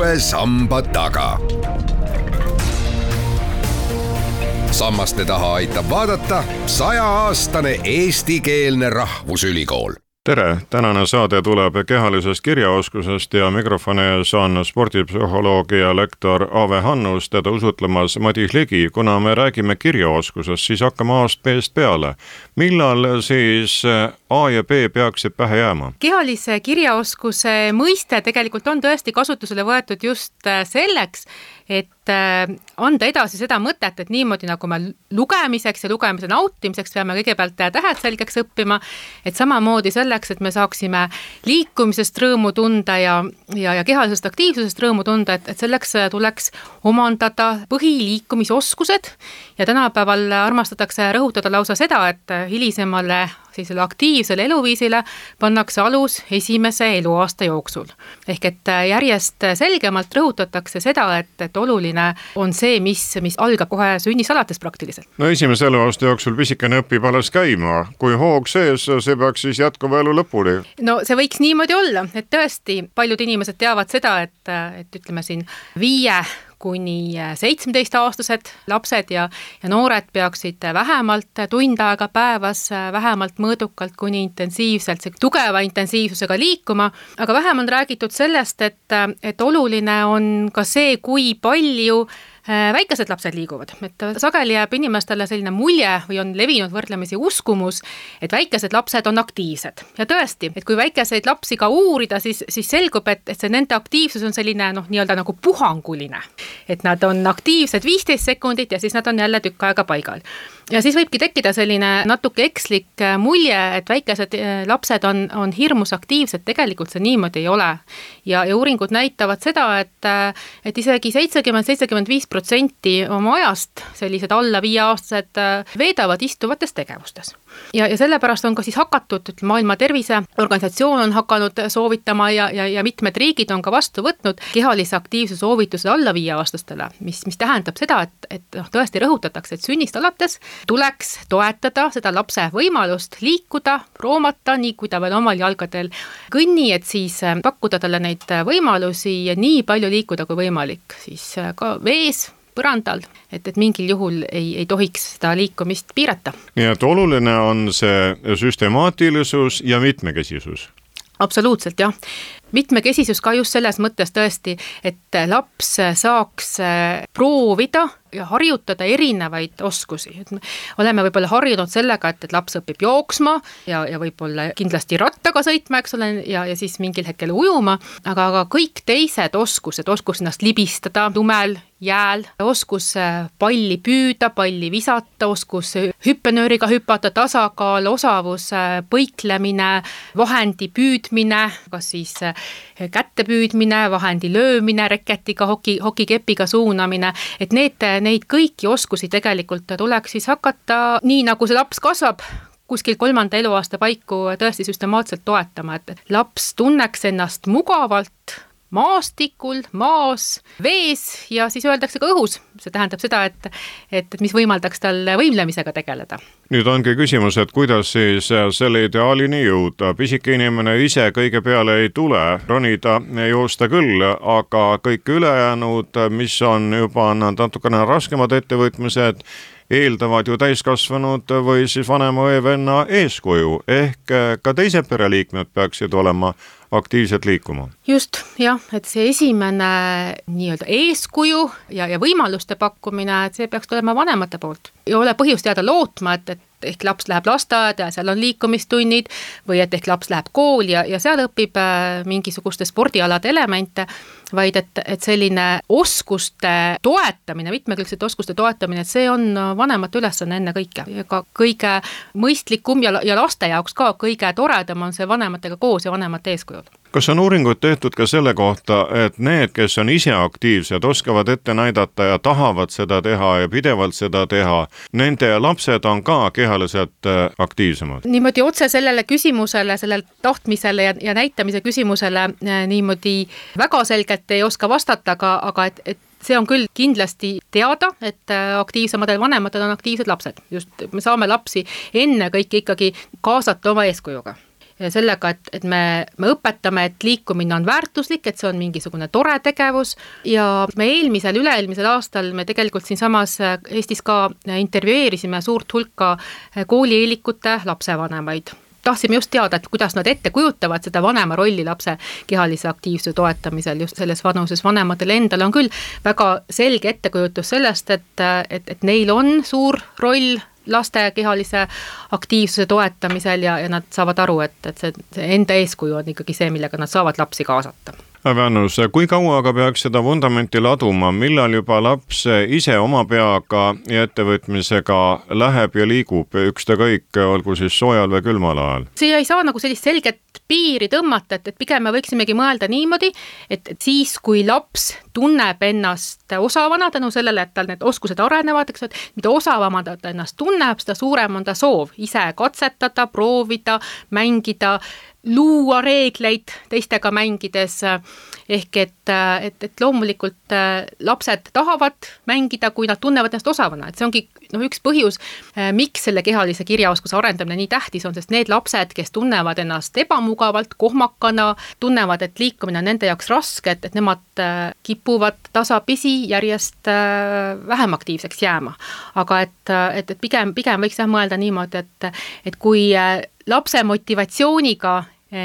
uue samba taga. Sammaste taha aitab vaadata 100-aastane eestikeelne rahvusülikool. Tere! Tänane saade tuleb kehalisest kirjaoskusest ja mikrofoni ees on spordipsühholoogia lektor Ave Hannus, teda usutlemas Madis Ligi. Kuna me räägime kirjaoskusest, siis hakkame A-st peale. Millal siis A ja B peaksid pähe jääma? Kehalise kirjaoskuse mõiste tegelikult on tõesti kasutusele võetud just selleks, et anda edasi seda mõtet, et niimoodi nagu me lugemiseks ja lugemise nautimiseks peame kõigepealt tähed selgeks õppima, et samamoodi selleks, et me saaksime liikumisest rõõmu tunda ja kehalisest aktiivsusest rõõmu tunda, et selleks tuleks omandada põhiliikumisoskused ja tänapäeval armastatakse rõhutada lausa seda, et hilisemale sellisele aktiivsele eluviisile pannakse alus esimese eluaasta jooksul. Ehk et järjest selgemalt rõhutatakse seda, et oluline on see, mis algab kohe sünnist alates praktiliselt. No esimese eluaasta jooksul pisikene õpib alles käima. Kui hoog sees, see peaks siis jätkuva elu lõpuni. No see võiks niimoodi olla, et tõesti paljud inimesed teavad seda, et ütleme siin 5 kuni 17-aastased lapsed ja noored peaksid vähemalt tund aega päevas, vähemalt mõõdukalt kuni intensiivselt, tugeva intensiivsusega liikuma, aga vähem on räägitud sellest, et oluline on ka see, kui palju väikesed lapsed liiguvad. Et sageli jääb inimestele selline mulje või on levinud võrdlemisi uskumus, et väikesed lapsed on aktiivsed. Ja tõesti, et kui väikeseid lapsi ka uurida, siis selgub, et see nende aktiivsus on selline nii-öelda nagu puhanguline. Et nad on aktiivsed 15 sekundit ja siis nad on jälle tükk aega paigal. Ja siis võibki tekkida selline natuke ekslik mulje, et väikesed lapsed on hirmus aktiivsed, tegelikult see niimoodi ei ole. Ja uuringud näitavad seda, et isegi 70-75% oma ajast sellised alla 5-aastased veedavad istuvates tegevustes. Ja sellepärast on ka siis hakatud, Maailma Terviseorganisatsioon on hakanud soovitama ja mitmed riigid on ka vastu võtnud kehalise aktiivsuse soovitused alla 5-aastastele, mis tähendab seda, et tõesti rõhutatakse, et sünnist alates tuleks toetada seda lapse võimalust liikuda, roomata, nii kui ta veel omal jalgadel kõnni, et siis pakkuda talle neid võimalusi ja nii palju liikuda kui võimalik, siis ka vees, põrandal, et mingil juhul ei tohiks seda liikumist piirata. Nii et oluline on see süstemaatilisus ja mitmekesisus. Absoluutselt, jah. Mitmekesisus ka just selles mõttes tõesti, et laps saaks proovida ja harjutada erinevaid oskusi. Et me oleme võib-olla harjunud sellega, et laps õpib jooksma ja võib-olla kindlasti rattaga sõitma, eks ole, ja siis mingil hetkel ujuma, aga kõik teised oskused, oskus ennast libistada lumel, jääl, oskus palli püüda, palli visata, oskus hüppenööriga hüpata, tasakaal, osavus, põiklemine, vahendi püüdmine, kas siis kätte püüdmine, vahendi löömine, reketiga, hokikepiga suunamine, et neid kõiki oskusi tegelikult tuleks siis hakata, nii nagu see laps kasvab, kuskil 3. eluaasta paiku tõesti süstemaatselt toetama, et laps tunneks ennast mugavalt maastikul, maas, vees ja siis öeldakse ka õhus. See tähendab seda, et mis võimaldaks tal võimlemisega tegeleda. Nüüd ongi küsimus, et kuidas siis selle ideaalini jõuda. Pisike inimene ise kõige peale ei tule, ronida joosta küll, aga kõik ülejäänud, mis on juba natukene raskemad ettevõtmised, eeldavad ju täiskasvanud või siis vanema või venna eeskuju, ehk ka teised pereliikmed peaksid olema aktiivselt liikuma. Just, jah, et see esimene nii-öelda eeskuju ja võimaluste pakkumine, et see peaks tulema vanemate poolt. Ei ole põhjust jääda lootma, et ehk laps läheb lasteaeda ja seal on liikumistunnid või et ehk laps läheb kooli ja seal õpib mingisuguste spordialade elemente, vaid et selline oskuste toetamine, mitmekülgsete oskuste toetamine, et see on vanemate ülesanne enne kõike. Ka kõige mõistlikum ja laste jaoks ka kõige toredam on see vanematega koos ja vanemate eeskujul. Kas on uuringud tehtud ka selle kohta, et need, kes on ise aktiivsed, oskavad ette näidata ja tahavad seda teha ja pidevalt seda teha, nende lapsed on ka kehaliselt aktiivsemad? Niimoodi otse sellele küsimusele, sellele tahtmisele ja näitamise küsimusele niimoodi väga selgelt ei oska vastata, aga et see on küll kindlasti teada, et aktiivsemadel vanematel on aktiivsed lapsed. Just me saame lapsi enne kõik ikkagi kaasata oma eeskujuga. sellega, et me õpetame, et liikumine on väärtuslik, et see on mingisugune tore tegevus ja me üle-eelmisel aastal me tegelikult siinsamas Eestis ka intervjueerisime suurt hulka koolieelikute lapsevanemaid. Tahtsime just teada, et kuidas nad ette kujutavad seda vanema rolli lapse kehalise aktiivsuse toetamisel just selles vanuses. Vanematel endal on küll väga selge ettekujutus sellest, et neil on suur roll laste kehalise aktiivsuse toetamisel ja nad saavad aru, et see enda eeskuju on ikkagi see, millega nad saavad lapsi kaasata. Väänus, kui kaua aga peaks seda vundamenti laduma, millal juba laps ise oma peaga ja ettevõtmisega läheb ja liigub ükskõik, olgu siis soojal või külmal ajal? See ei saa nagu sellist selget piiri tõmmata, et pigem me võiksimegi mõelda niimoodi, et siis, kui laps tunneb ennast osavana tänu sellele, et tal need oskused arenevad, eks, et mida osavamana ta ennast tunneb, seda suurem on ta soov ise katsetada, proovida, mängida, luua reegleid teistega mängides, ehk et loomulikult lapsed tahavad mängida, kui nad tunnevad ennast osavana, et see ongi üks põhjus, miks selle kehalise kirjaoskuse arendamine nii tähtis on, sest need lapsed, kes tunnevad ennast ebamugavalt, kohmakana, tunnevad, et liikumine on nende jaoks raske, et nemad kipuvad tasapisi järjest vähem aktiivseks jääma. Aga et pigem võiks mõelda niimoodi, et kui lapse motivatsiooniga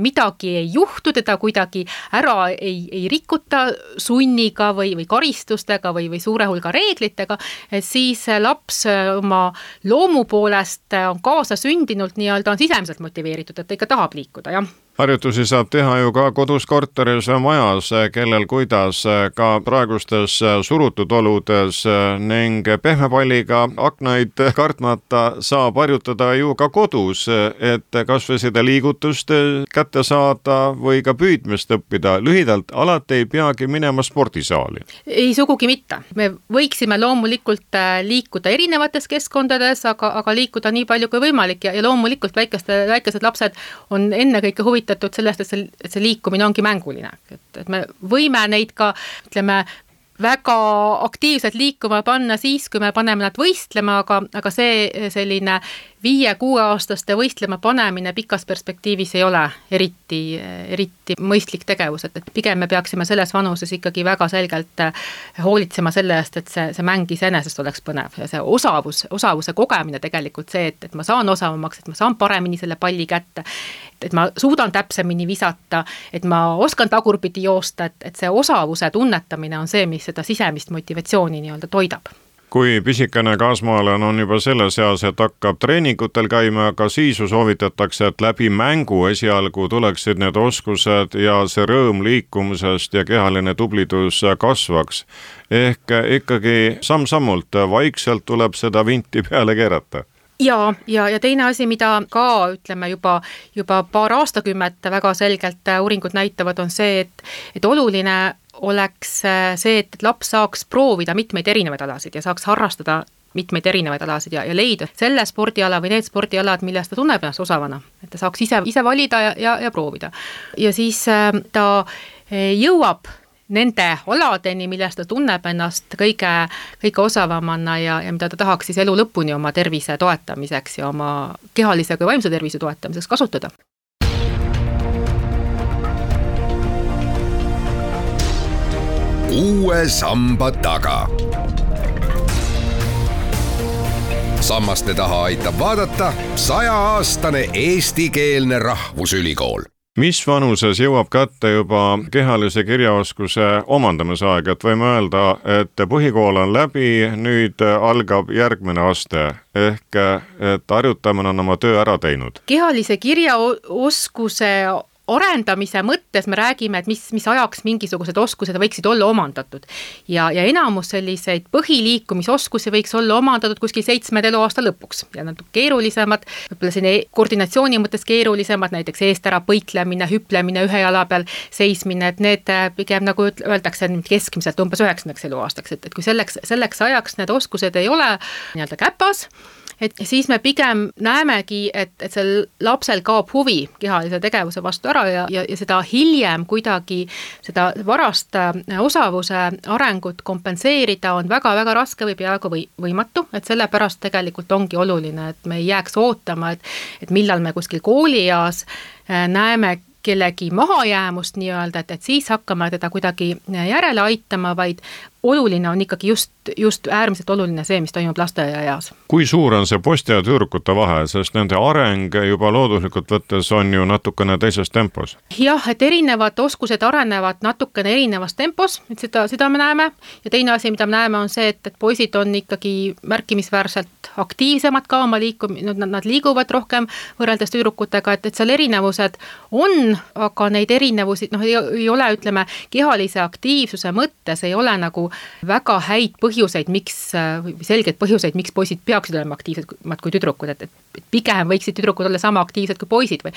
midagi ei juhtu, teda kuidagi ära ei rikuta sunniga või karistustega või suure hulga reeglitega, et siis laps oma loomu poolest on kaasasündinult nii-öelda on sisemiselt motiveeritud, et ta ikka tahab liikuda, jah. Harjutusi saab teha ju ka kodus, korteris, majas, kellel kuidas, ka praegustes surutud oludes ning pehme palliga aknaid kartmata saab harjutada ju ka kodus, et kas või seda liigutust kätte saada või ka püüdmist õppida. Lühidalt, alati ei peagi minema spordisaali. Ei sugugi mitte. Me võiksime loomulikult liikuda erinevates keskkondades, aga liikuda nii palju kui võimalik ja loomulikult väikesed lapsed on ennekõike huvitatud sellest, et see liikumine ongi mänguline. Et me võime neid ka, ütleme, väga aktiivselt liikuma panna siis, kui me paneme nad võistlema, aga see selline 5-6-aastaste võistlema panemine pikas perspektiivis ei ole eriti mõistlik tegevus, et pigem me peaksime selles vanuses ikkagi väga selgelt hoolitsema selle eest, et see mäng iseenesest oleks põnev ja see osavuse kogemine tegelikult see, et ma saan osavamaks, et ma saan paremini selle palli kätte, et ma suudan täpsemini visata, et ma oskan tagurpidi joosta, et see osavuse tunnetamine on see, mis seda sisemist motivatsiooni nii-öelda toidab. Kui pisikene kaasmaalane on juba selles eas, et hakkab treeningutel käima, aga siis soovitatakse, et läbi mängu esialgu tuleksid need oskused ja see rõõm liikumisest ja kehaline tublidus kasvaks. Ehk ikkagi samm-sammult vaikselt tuleb seda vinti peale keerata. Ja teine asi, mida ka ütleme juba paar aastakümmet väga selgelt uuringud näitavad, on see, et oluline oleks see, et laps saaks proovida mitmeid erinevaid alasid ja saaks harrastada mitmeid erinevaid alasid ja leida selle spordiala või need spordialad, millest ta tunneb ennast osavana, et ta saaks ise valida ja proovida. Ja siis ta jõuab nende aladeni, millest ta tunneb ennast kõige osavamana ja mida ta tahaks siis elu lõpuni oma tervise toetamiseks ja oma kehalise kui vaimse tervise toetamiseks kasutada. Uue samba taga. Sammaste taha aitab vaadata 100-aastane eestikeelne rahvusülikool. Mis vanuses jõuab kätte juba kehalise kirjaoskuse omandamise aeg, et võime öelda, et põhikool on läbi, nüüd algab järgmine aste, ehk et harjutamine on oma töö ära teinud. Kehalise kirjaoskuse arendamise mõttes me räägime, et mis ajaks mingisugused oskused võiksid olla omandatud. Ja enamus selliseid põhiliikumisoskusi võiks olla omandatud kuskil 7 eluaasta lõpuks. Ja nad keerulisemad, võib-olla selline koordinatsiooni mõttes keerulisemad, näiteks eest ära põiklemine, hüplemine, ühe jala peal seismine, et need pigem nagu öeldakse keskmiselt umbes 9 eluaastaks, et kui selleks ajaks need oskused ei ole nii-öelda käpas, et siis me pigem näemegi, et sel lapsel kaob huvi kehalise tegevuse vastu ära ja seda hiljem kuidagi seda varast osavuse arengut kompenseerida on väga-väga raske või peaaegu võimatu, et sellepärast tegelikult ongi oluline, et me ei jääks ootama, et millal me kuskil koolieas näeme kellegi mahajäämust nii-öelda, et siis hakkame teda kuidagi järele aitama, vaid oluline on ikkagi just äärmiselt oluline see, mis toimub lasteaiaeas. Kui suur on see poiste ja tüdrukute vahe, sest nende areng juba looduslikult võttes on ju natukene teises tempos? Jah, et erinevad oskused arenevad natukene erinevas tempos, et seda me näeme ja teine asi, mida me näeme, on see, et poisid on ikkagi märkimisväärselt aktiivsemad ka oma nad liiguvad rohkem võrreldes tüdrukutega, et seal erinevused on, aga neid erinevusi ei ole, ütleme, kehalise aktiivsuse mõttes ei ole nagu väga häid põhjuseid, selgeid põhjuseid, miks poisid peaksid olema aktiivsed kui tüdrukud, et pigem võiksid tüdrukud olla sama aktiivsed kui poisid või.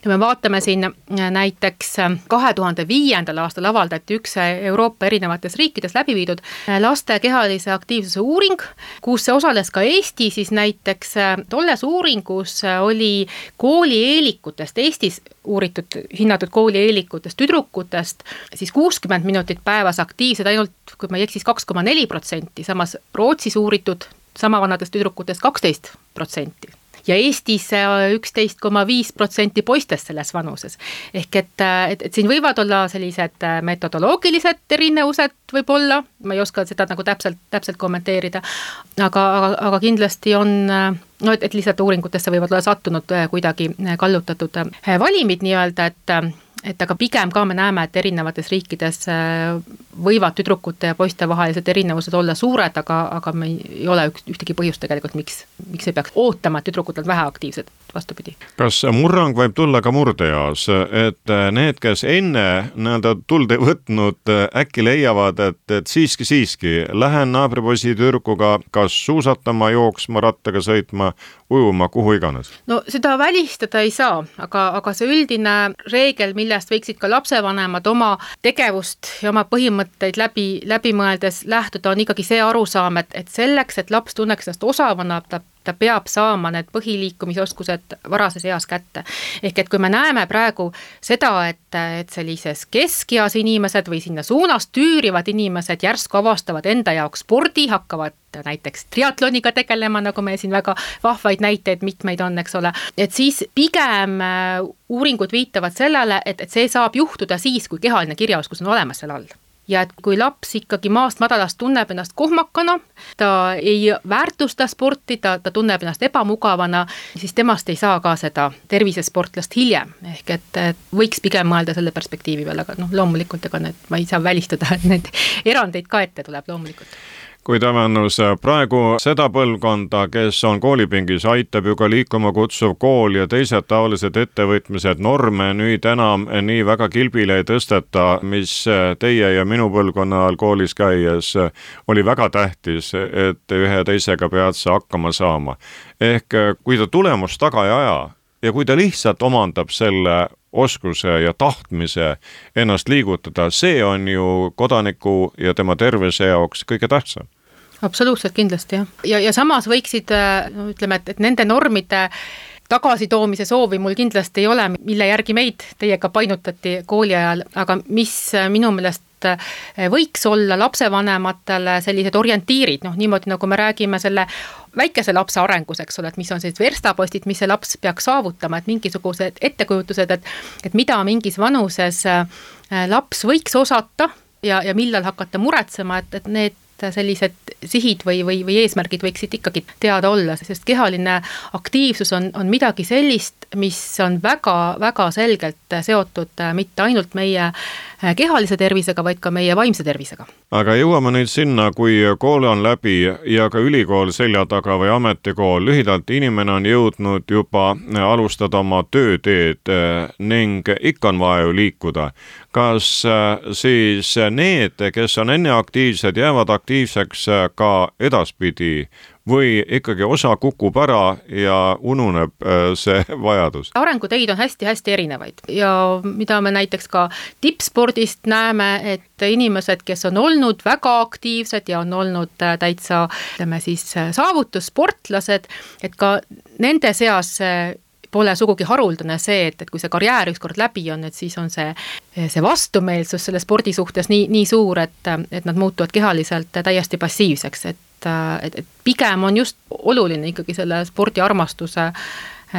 Ja me vaatame siin näiteks 2005. aastal avaldati üks Euroopa erinevates riikides läbi viidud laste kehalise aktiivsuse uuring, kus osales ka Eesti, siis näiteks tolles uuringus oli koolieelikutest, Eestis hinnatud koolieelikutest tüdrukutest siis 60 minutit päevas aktiivsed ainult, kui ma ei eksis, 2,4%, samas Rootsis uuritud sama vanadest tüdrukutest 12%. Ja Eestis 11,5% poistest selles vanuses. Ehk et siin võivad olla sellised metodoloogilised erinevused võib-olla, ma ei oska seda nagu täpselt kommenteerida, aga kindlasti on, et lihtsalt uuringutesse võivad olla sattunud kuidagi kallutatud valimid nii-öelda, et aga pigem ka me näeme, et erinevates riikides võivad tüdrukute ja poiste vahelised erinevused olla suured, aga me ei ole ühtegi põhjust tegelikult, miks ei peaks ootama, et tüdrukud on väheaktiivsed, vastupidi. Kas murrang võib tulla ka murdeeas, et need, kes enne tuld ei võtnud, äkki leiavad, et siiski, lähen naabripoisi tüdrukuga kas suusatama, jooksma, rattaga sõitma, ujuma, kuhu iganes? No seda välistada ei saa, aga see üldine reegel, millest võiksid ka lapsevanemad oma tegevust ja oma põhimõtteid läbi mõeldes lähtuda, on ikkagi see arusaam, et selleks, et laps tunneks ennast osavana, ta peab saama need põhiliikumisoskused varases eas kätte. Ehk et kui me näeme praegu seda, et sellises keskeas inimesed või sinna suunas tüürivad inimesed järsku avastavad enda jaoks spordi, hakkavad näiteks triatloniga tegelema, nagu me siin väga vahvaid näiteid mitmeid on, eks ole, et siis pigem uuringud viitavad sellele, et see saab juhtuda siis, kui kehaline kirjaoskus on olemas seal all. Ja et kui laps ikkagi maast madalast tunneb ennast kohmakana, ta ei väärtusta sporti, ta tunneb ennast ebamugavana, siis temast ei saa ka seda tervisesportlast hiljem. Ehk et võiks pigem mõelda selle perspektiivi peale, aga loomulikult ma ei saa välistada, et need erandeid ka ette tuleb loomulikult. Kui Tämennus praegu seda põlvkonda, kes on koolipingis, aitab ju ka liikuma kutsuv kool ja teised taolised ettevõtmised norme nüüd enam nii väga kilbile ei tõsteta, mis teie ja minu põlvkonna ajal koolis käies oli väga tähtis, et ühe teisega pead sa hakkama saama. Ehk kui ta tulemust taga ei aja ja kui ta lihtsalt omandab selle oskuse ja tahtmise ennast liigutada, see on ju kodaniku ja tema tervise jaoks kõige tähtsam. Absoluutselt kindlasti, jah. Ja samas võiksid, ütleme, et nende normide tagasitoomise soovi mul kindlasti ei ole, mille järgi meid teiega painutati kooli ajal, aga mis minu meelest võiks olla lapsevanematele sellised orientiirid, niimoodi nagu me räägime selle väikese lapse arengus, eks ole, et mis on sellised verstapostid, mis see laps peaks saavutama, et mingisugused ettekujutused, et mida mingis vanuses laps võiks osata ja millal hakata muretsema, et need sellised sihid või eesmärgid võiksid ikkagi teada olla, sest kehaline aktiivsus on midagi sellist, mis on väga-väga selgelt seotud mitte ainult meie kehalise tervisega, vaid ka meie vaimse tervisega. Aga jõuame nüüd sinna, kui kool on läbi ja ka ülikool selja taga või ametikool, lühidalt inimene on jõudnud juba alustada oma tööteed ning ikka on vaja ju liikuda. Kas siis need, kes on enne aktiivsed, jäävad aktiivseks ka edaspidi või ikkagi osa kukub ära ja ununeb see vajadus? Arenguteid on hästi-hästi erinevaid ja mida me näiteks ka tippspordist näeme, et inimesed, kes on olnud väga aktiivsed ja on olnud täitsa, ütleme siis, saavutussportlased, et ka nende seas pole sugugi haruldane see, et kui see karjäär ükskord läbi on, et siis on see vastumeelsus selle spordi suhtes nii suur, et nad muutuvad kehaliselt täiesti passiivseks, et pigem on just oluline ikkagi selle spordiarmastuse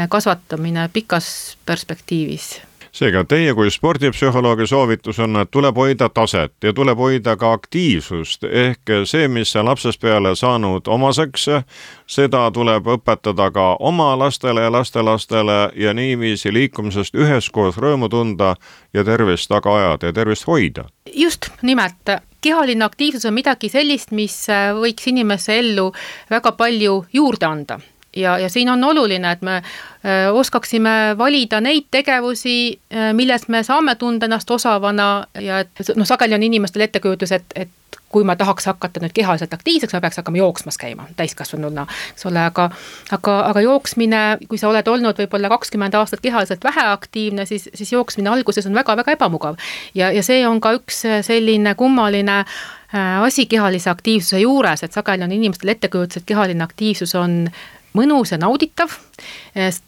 kasvatamine pikas perspektiivis. Seega teie kui spordipsühholoogi soovitus on, et tuleb hoida taset ja tuleb hoida ka aktiivsust, ehk see, mis see lapsest peale saanud omaseks, seda tuleb õpetada ka oma lastele ja lastelastele ja niiviisi liikumisest üheskoos rõõmu tunda ja tervist taga ajada ja tervist hoida. Just nimelt, kehaline aktiivsus on midagi sellist, mis võiks inimesse ellu väga palju juurde anda. Ja siin on oluline, et me oskaksime valida neid tegevusi, milles me saame tunda ennast osavana ja et sageli on inimestel ettekujutus, et kui ma tahaks hakata nüüd kehaliselt aktiivseks, ma peaks hakkama jooksmas käima täiskasvanuna, eks ole, aga jooksmine, kui sa oled olnud võib-olla 20 aastat kehaliselt väheaktiivne, siis jooksmine alguses on väga-väga ebamugav ja see on ka üks selline kummaline asi kehalise aktiivsuse juures, et sageli on inimestel ettekujutus, et kehaline aktiivsus on mõnus ja nauditav.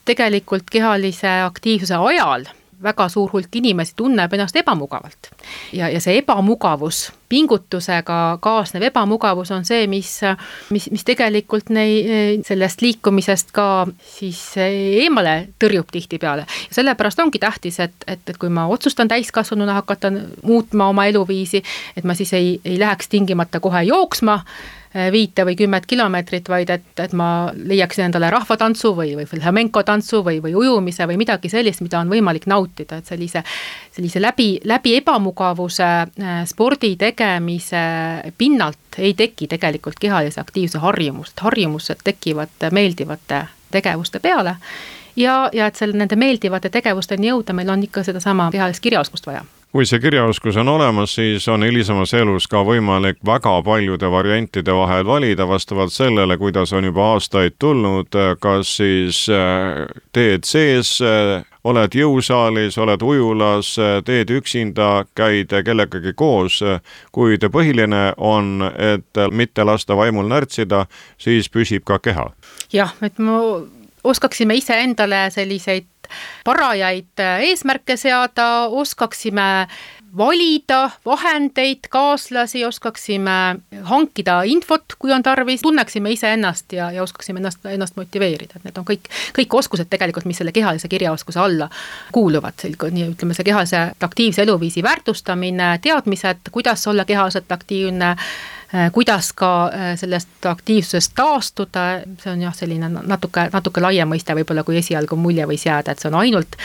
Tegelikult kehalise aktiivsuse ajal väga suur hulk inimesi tunneb ennast ebamugavalt. Ja see ebamugavus, pingutusega kaasnev ebamugavus on see, mis tegelikult sellest liikumisest ka siis eemale tõrjub tihti peale. Ja sellepärast ongi tähtis, et kui ma otsustan täiskasvanuna hakata muutma oma eluviisi, et ma siis ei läheks tingimata kohe jooksma 5 või 10 kilomeetrit, vaid et ma leiaksin endale rahvatantsu või flamenco tantsu või ujumise või midagi sellist, mida on võimalik nautida, et sellise läbi ebamugavuse spordi tegemise pinnalt ei teki tegelikult kehalise aktiivse harjumused tekivad meeldivate tegevuste peale ja et nende meeldivate tegevusteni jõuda, meil on ikka sedasama kehalist kirjaoskust vaja. Kui see kirjaoskus on olemas, siis on hilisemas elus ka võimalik väga paljude variantide vahel valida vastavalt sellele, kuidas on juba aastaid tulnud, kas siis teed sees, oled jõusaalis, oled ujulas, teed üksinda, käid kellegagi koos, kuid põhiline on, et mitte lasta vaimul närtsida, siis püsib ka keha. Jah, et me oskaksime ise endale selliseid parajaid eesmärke seada, oskaksime valida vahendeid, kaaslasi, oskaksime hankida infot, kui on tarvis, tunneksime ise ennast ja oskaksime ennast motiveerida. Need on kõik oskused tegelikult, mis selle kehalise kirjaoskuse alla kuuluvad. Ütleme, see kehalise aktiivse eluviisi väärtustamine, teadmised, kuidas olla kehaliselt aktiivne, kuidas ka sellest aktiivsusest taastuda, see on jah selline natuke laiem mõiste võib-olla, kui esialgu mulje võis jääda, et see on ainult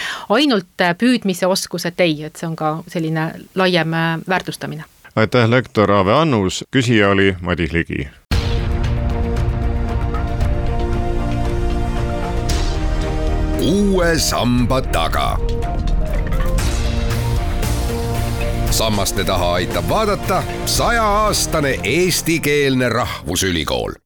püüdmise oskus, et ei, et see on ka selline laiem väärtustamine. Aitäh, lektor Aave Annus, küsija oli Madis Ligi. Uue samba taga. Sammaste taha aitab vaadata 100-aastane eestikeelne rahvusülikool.